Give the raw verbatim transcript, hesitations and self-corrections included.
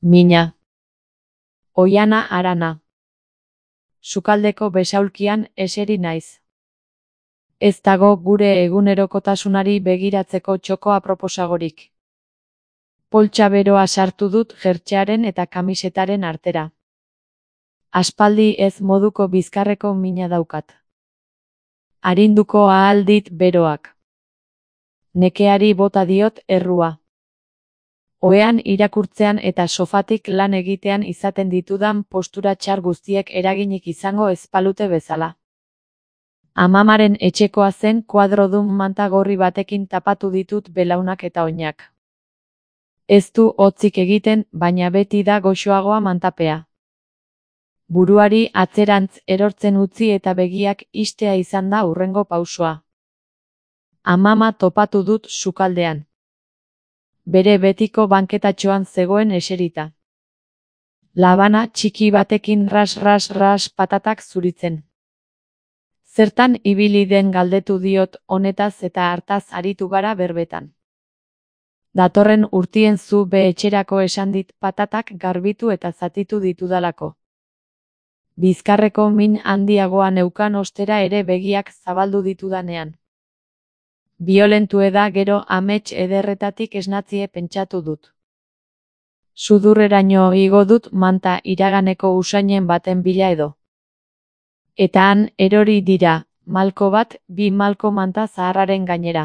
Mina. Oiana Arana. Sukaldeko besaulkian eseri naiz. Ez dago gure egunerokotasunari begiratzeko txoko aproposagorik. Poltsa beroa sartu dut jertsearen eta kamisetaren artera. Aspaldi ez moduko bizkarreko mina daukat. Arinduko ahal dit beroak. Nekeari bota diot errua. Ohean irakurtzean eta sofatik lan egitean izaten ditudan postura txar guztiek eraginik izango ez balute bezala. Amamaren etxekoa zen kuadrodun manta gorri batekin tapatu ditut belaunak eta oinak. Ez du hotzik egiten, baina beti da goxoagoa mantapea. Buruari atzerantz erortzen utzi eta begiak istea izan da hurrengo pausoa. Amama topatu dut sukaldean. Bere betiko banketatxoan zegoen eserita. Labana txiki batekin ras-ras-ras patatak zuritzen. Zertan ibili den galdetu diot honetaz eta hartaz aritu gara berbetan. Datorren urtien zu be etxerako esan dit patatak garbitu eta zatitu ditudalako. Bizkarreko min handiagoa neukan ostera ere begiak zabaldu ditudanean. Biolentue da gero amets ederretatik esnatzie pentsatu dut. Sudurreraino igo dut manta iraganeko usainen baten bila edo. Eta han erori dira, malko bat, bi malko manta zaharraren gainera.